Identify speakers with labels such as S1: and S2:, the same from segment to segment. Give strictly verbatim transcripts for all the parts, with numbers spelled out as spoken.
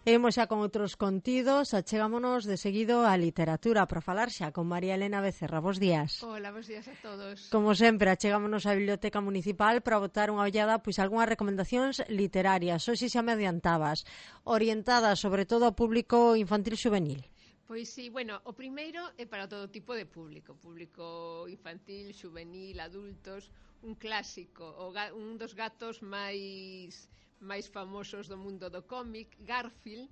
S1: E imos xa con outros contidos, achegámonos de seguido á literatura para falar xa con María Elena Becerra. Bos días.
S2: Hola, bos días a todos.
S1: Como sempre, achegámonos á Biblioteca Municipal para botar unha ollada pois algunhas recomendacións literarias. Hoxe xa me adiantabas, orientadas sobre todo ao público infantil xuvenil.
S2: Pois sí, bueno, o primeiro é para todo tipo de público, público infantil, xuvenil, adultos, un clásico, o ga, un dos gatos máis máis famosos do mundo do cómic, Garfield,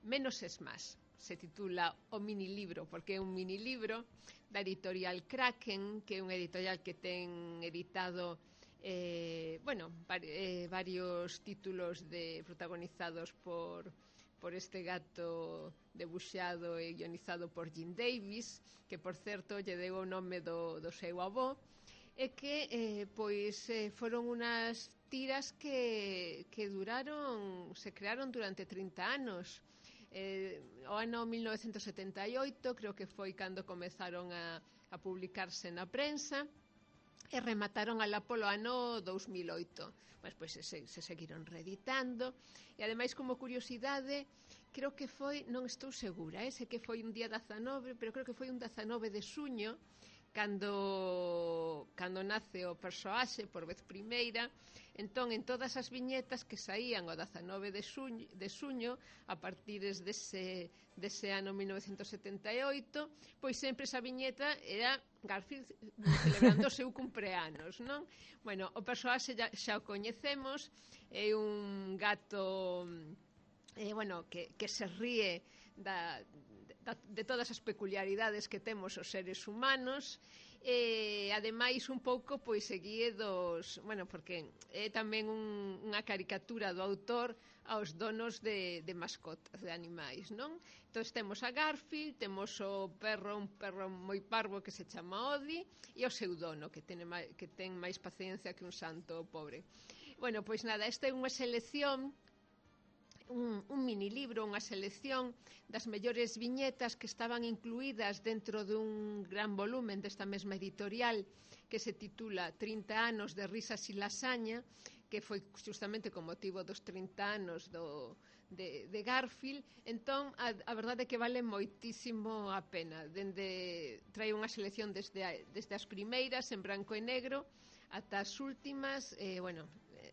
S2: Menos es más, se titula o minilibro, porque é un minilibro da editorial Kraken, que é unha editorial que ten editado eh, bueno, var, eh, varios títulos de protagonizados por por este gato debuxado e guionizado por Jim Davis, que por certo lle deu o nome do, do seu avó, e que eh, pois eh, foron unas tiras que, que duraron, se crearon durante trinta anos. Eh, o ano mil novecentos setenta e oito creo que foi cando comezaron a, a publicarse na prensa, e remataron alá polo ano dous mil e oito. Mas, pois, se, se seguiron reeditando, e ademais, como curiosidade, creo que foi, non estou segura, eh, sei que foi un día dezanove, pero creo que foi un dezanove de suño, cando cando nace o persoaxe por vez primeira. Entón, en todas as viñetas que saían o dezanove de suño, de suño a partir dese, dese ano mil novecentos setenta e oito, pois sempre esa viñeta era Garfield celebrando o seu cumpleanos, non? Bueno, o persoaxe xa, xa o coñecemos, é un gato eh, bueno, que, que se ríe da, de, de todas as peculiaridades que temos os seres humanos, e ademais un pouco pois seguía dos, bueno, porque é tamén un, unha caricatura do autor aos donos de, de mascotas, de animais, non? Entón temos a Garfield, temos o perro, un perro moi parvo que se chama Odi, e o seu dono, que ten, que ten máis paciencia que un santo pobre. Bueno, pois nada, esta é unha selección, Un, un minilibro, unha selección das mellores viñetas que estaban incluídas dentro dun gran volumen desta mesma editorial que se titula trinta anos de risas e lasaña, que foi justamente con motivo dos trinta anos do, de, de Garfield. Entón, a, a verdade é que vale moitísimo a pena. Dende, trae unha selección desde, a, desde as primeiras en branco e negro ata as últimas, eh, bueno,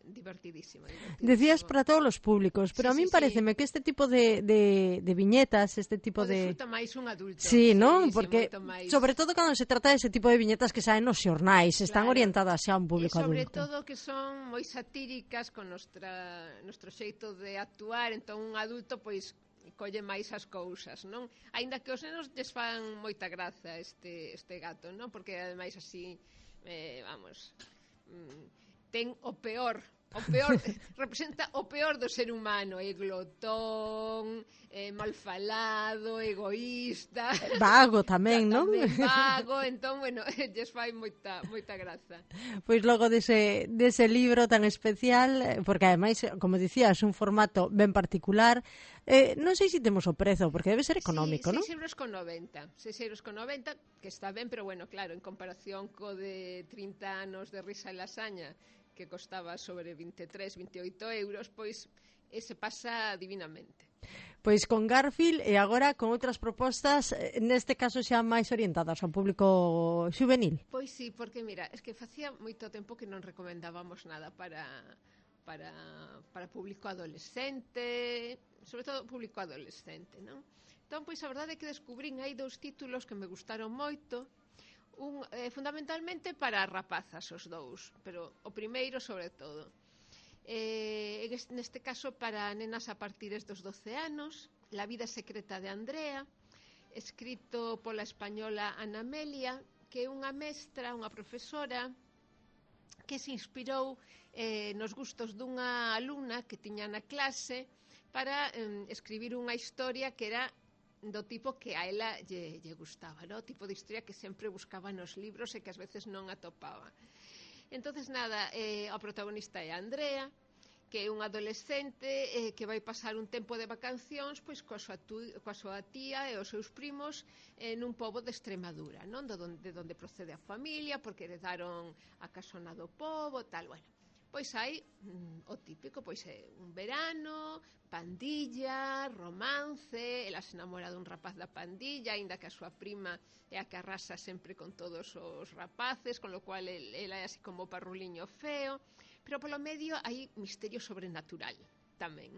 S2: divertidísimo, divertidísimo.
S1: Decías para todos os públicos, pero sí, a min sí, pareceme sí. que este tipo de, de, de viñetas, este tipo
S2: o
S1: de...
S2: disfruta máis un adulto.
S1: Sí, non?
S2: Sí,
S1: Porque,
S2: sí, máis...
S1: sobre todo cando se trata dese tipo de viñetas que saen nos xornais, están
S2: claro,
S1: orientadas xa a un público
S2: adulto. E sobre
S1: adulto.
S2: todo que son moi satíricas con nostra, nostro xeito de actuar, entón un adulto, pois, colle máis as cousas, non? Aínda que os nenos lles fan moita graza este, este gato, non? Porque, ademais, así, eh, vamos... Mm, ten o peor, o peor representa o peor do ser humano, é glotón, é malfalado, egoísta,
S1: vago tamén, non?
S2: Tamén vago, entón, bueno, lles fai moita, moita graza.
S1: Pois logo dese, dese libro tan especial, porque ademais, como dicías, un formato ben particular, eh, non sei se temos o prezo, porque debe ser económico,
S2: sí,
S1: non?
S2: seis euros con noventa, seis euros con noventa, que está ben, pero bueno, claro, en comparación co de trinta anos de risa e lasaña, que costaba sobre vinte e tres, vinte e oito euros, pois ese pasa divinamente.
S1: Pois con Garfield e agora con outras propostas, neste caso xa máis orientadas ao público xuvenil.
S2: Pois sí, porque mira, es que facía moito tempo que non recomendábamos nada para para para público adolescente, sobre todo público adolescente, non? Entón, pois a verdade é que descubrín aí dous títulos que me gustaron moito. Un, eh, fundamentalmente para rapazas os dous, pero o primeiro sobre todo eh, neste caso para nenas a partir dos doce anos, La vida secreta de Andrea, escrito pola española Ana Amelia, que é unha mestra, unha profesora que se inspirou eh, nos gustos dunha alumna que tiña na clase para eh, escribir unha historia que era do tipo que a ela lle, lle gustaba, no? O tipo de historia que sempre buscaba nos libros e que ás veces non atopaba. Entonces nada, eh, a protagonista é Andrea, que é un adolescente eh, que vai pasar un tempo de vacacións pois coa súa, tu, coa súa tía e os seus primos eh, nun pobo de Extremadura, non? De onde, de onde procede a familia, porque heredaron a casona do pobo, tal, bueno. pois hai mm, o típico, pois é un verano, pandilla, romance, ela se enamora dun rapaz da pandilla, aínda que a súa prima é a que arrasa sempre con todos os rapaces, con lo cual el, ela é así como parruliño feo, pero polo medio hai misterio sobrenatural tamén.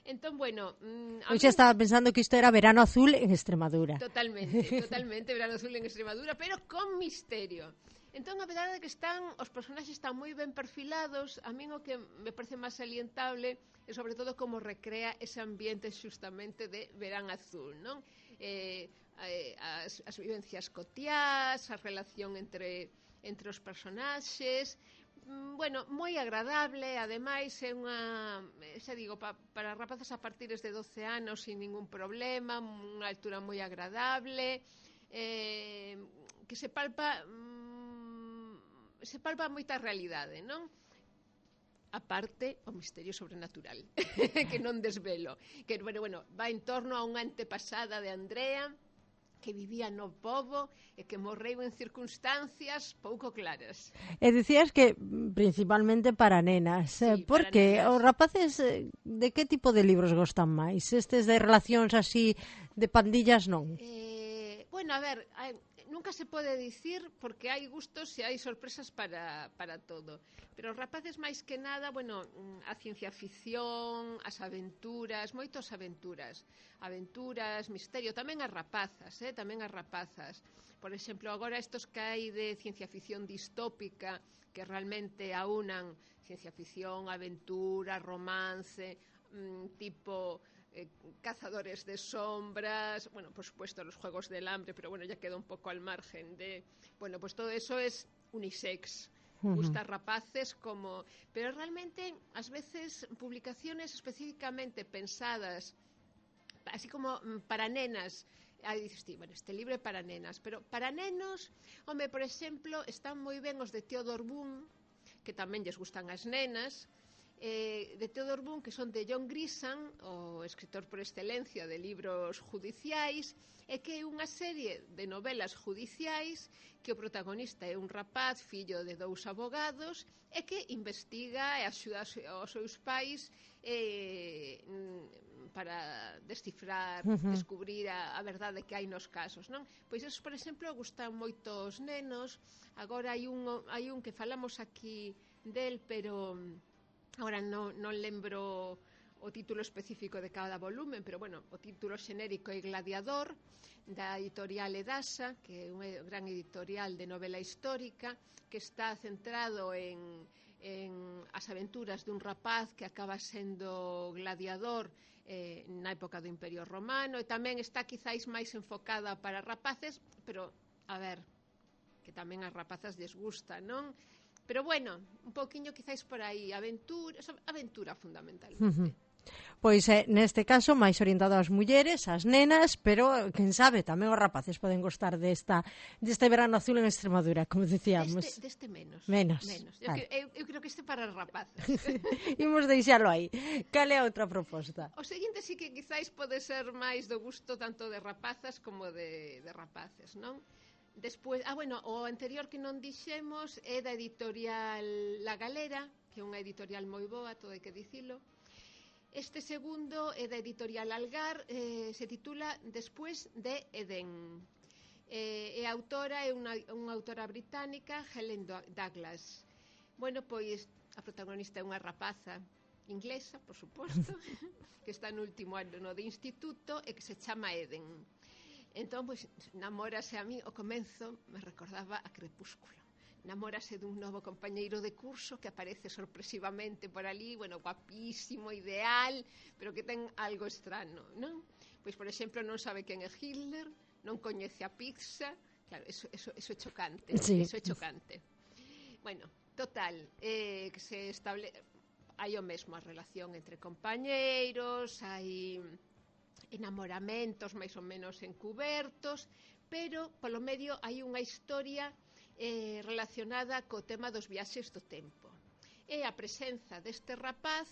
S2: Entón, bueno... Mm,
S1: Eu xa estaba pensando que isto era Verano Azul en Extremadura.
S2: Totalmente, totalmente Verano Azul en Extremadura, pero con misterio. Entón, a verdade é que están, os personaxes están moi ben perfilados. A min o que me parece máis salientable é sobre todo como recrea ese ambiente xustamente de Verán Azul, non? Eh, eh, as, as vivencias cotiás, a relación entre, entre os personaxes... Bueno, moi agradable, ademais é unha, xa digo, pa, para rapazas a partir de doce anos sin ningún problema, unha altura moi agradable, eh, que se palpa mm, se palpa moita realidade, non? A parte o misterio sobrenatural que non desvelo, que bueno, bueno, va en torno a unha antepasada de Andrea que vivía no pobo e que morreu en circunstancias pouco claras.
S1: E dicías que principalmente para nenas.
S2: Sí,
S1: por que? Os rapaces de que tipo de libros gostan máis? Estes de relacións así de pandillas non?
S2: Eh, bueno, a ver, hai, nunca se pode dicir porque hai gustos e hai sorpresas para, para todo. Pero os rapaces máis que nada, bueno, a ciencia ficción, as aventuras, moitos aventuras. Aventuras, misterio, tamén as rapazas, eh, tamén as rapazas. Por exemplo, agora estos que hai de ciencia ficción distópica, que realmente aunan ciencia ficción, aventura, romance, mmm, tipo eh, cazadores de sombras, bueno, por supuesto los juegos del hambre, pero bueno, ya queda un poco al margen de... Bueno, pues todo eso es unisex. Gusta rapaces como... Pero realmente, ás veces, publicaciones específicamente pensadas así como para nenas, aí dices ti, bueno, este libro é para nenas, pero para nenos, home, por exemplo, están moi ben os de Theodore Boone, que tamén lles gustan as nenas, eh, de Theodore Boone, que son de John Grisham, o escritor por excelencia de libros judiciais, e que é unha serie de novelas judiciais que o protagonista é un rapaz, fillo de dous abogados, e que investiga e axuda aos seus pais eh, para descifrar, uh -huh. descubrir a, a verdade que hai nos casos, non? Pois esos, por exemplo, gustan moito os nenos. Agora hai un, hai un que falamos aquí del, pero agora non, non lembro o título específico de cada volumen, pero bueno, o título xenérico é Gladiador, da editorial Edasa, que é un gran editorial de novela histórica, que está centrado en, en as aventuras dun rapaz que acaba sendo gladiador eh, na época do Imperio Romano, e tamén está quizáis máis enfocada para rapaces, pero, a ver, que tamén as rapazas lles gusta, non? Pero bueno, un poquinho quizáis por aí, aventura, aventura fundamentalmente. Uh -huh.
S1: Pois eh, neste caso máis orientado ás mulleres, ás nenas, pero quen sabe, tamén os rapaces poden gostar desta deste verano azul en Extremadura, como dicíamos.
S2: Deste, deste menos.
S1: Menos.
S2: menos. Eu, vale. eu, eu creo que este para os rapaces.
S1: Imos deixalo aí. Cal é a outra proposta?
S2: O seguinte sí que quizáis pode ser máis do gusto tanto de rapazas como de, de rapaces, non? Despois, ah, bueno, o anterior que non dixemos é da editorial La Galera, que é unha editorial moi boa, todo hai que dicilo. Este segundo é da editorial Algar, eh, se titula Después de Edén. Eh, e a autora é unha, unha autora británica, Helen Douglas. Bueno, pois a protagonista é unha rapaza inglesa, por suposto, que está no último ano de instituto e que se chama Eden. Entón, pois, namórase a mí, o comenzo me recordaba a Crepúsculo. Namórase dun novo compañeiro de curso que aparece sorpresivamente por ali, bueno, guapísimo, ideal, pero que ten algo estrano, non? Pois, por exemplo, non sabe quen é Hitler, non coñece a pizza, claro, eso, eso, eso é chocante, sí. Eso é chocante. Bueno, total, eh, que se estable... hai o mesmo a relación entre compañeiros, hai enamoramentos máis ou menos encubertos, pero polo medio hai unha historia Eh, relacionada co tema dos viaxes do tempo. E a presenza deste rapaz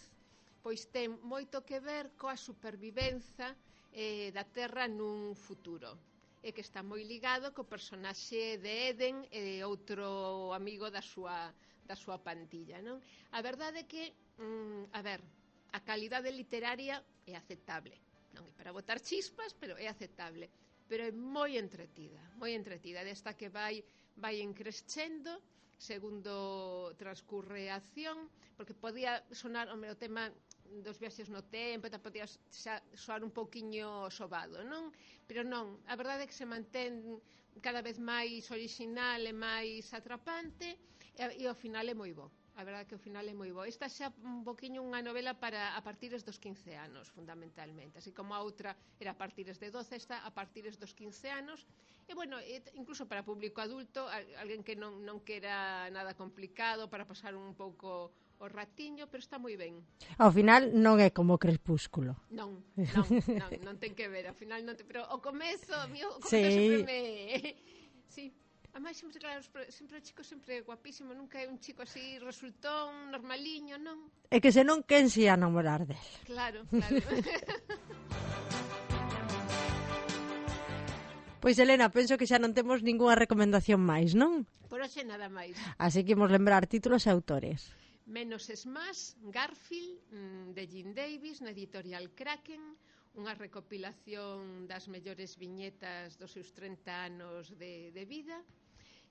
S2: pois ten moito que ver coa supervivenza eh, da Terra nun futuro, e que está moi ligado co personaxe de Eden e outro amigo da súa, da súa pantilla, non? A verdade é que, mm, a ver, a calidade literaria é aceptable, non é para botar chispas, pero é aceptable, pero é moi entretida, moi entretida, desta que vai vai encrescendo segundo transcurre a acción, porque podía sonar o meu tema dos viaxes no tempo, e podía soar un pouquiño sobado, non? Pero non, a verdade é que se mantén cada vez máis orixinal e máis atrapante, e, e ao final é moi bo. A verdade é que o final é moi bo. Esta xa un poquinho unha novela para a partires dos quince anos, fundamentalmente. Así como a outra era a partires de doce, esta a partires dos quince anos. E, bueno, incluso para público adulto, alguén que non, non quera nada complicado, para pasar un pouco o ratiño, pero está moi ben.
S1: Ao final non é como Crepúsculo.
S2: Non, non, non, non ten que ver. Ao final non te... Pero o comezo, o mío, o comezo
S1: sí.
S2: sempre me... Sí. Ademais, sempre, claro, sempre o chico sempre guapísimo, nunca é un chico así resultón, normaliño, non?
S1: É que se non, quen se ia namorar del?
S2: Claro, claro.
S1: Pois, Elena, penso que xa non temos ningunha recomendación máis, non?
S2: Por hoxe nada máis.
S1: Así que imos lembrar títulos e autores.
S2: Menos es más, Garfield, de Jim Davis, na editorial Kraken, unha recopilación das mellores viñetas dos seus trinta anos de, de vida,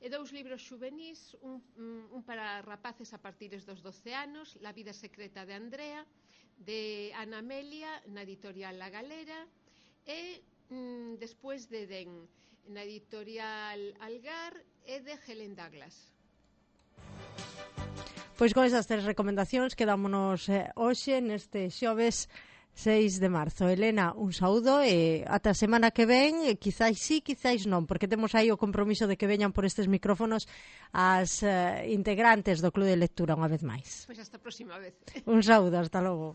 S2: e dous libros xuvenís, un, un para rapaces a partires dos doce anos, La vida secreta de Andrea, de Ana Amelia, na editorial La Galera, e mm, Despois de Edén, na editorial Algar, e de Helen Douglas.
S1: Pois con esas tres recomendacións quedámonos eh, hoxe neste xoves seis de marzo. Elena, un saúdo e ata a semana que ven, e quizáis sí, quizáis non, porque temos aí o compromiso de que veñan por estes micrófonos as uh, integrantes do Club de Lectura unha vez máis.
S2: Pois hasta a próxima vez.
S1: Un saúdo, hasta logo.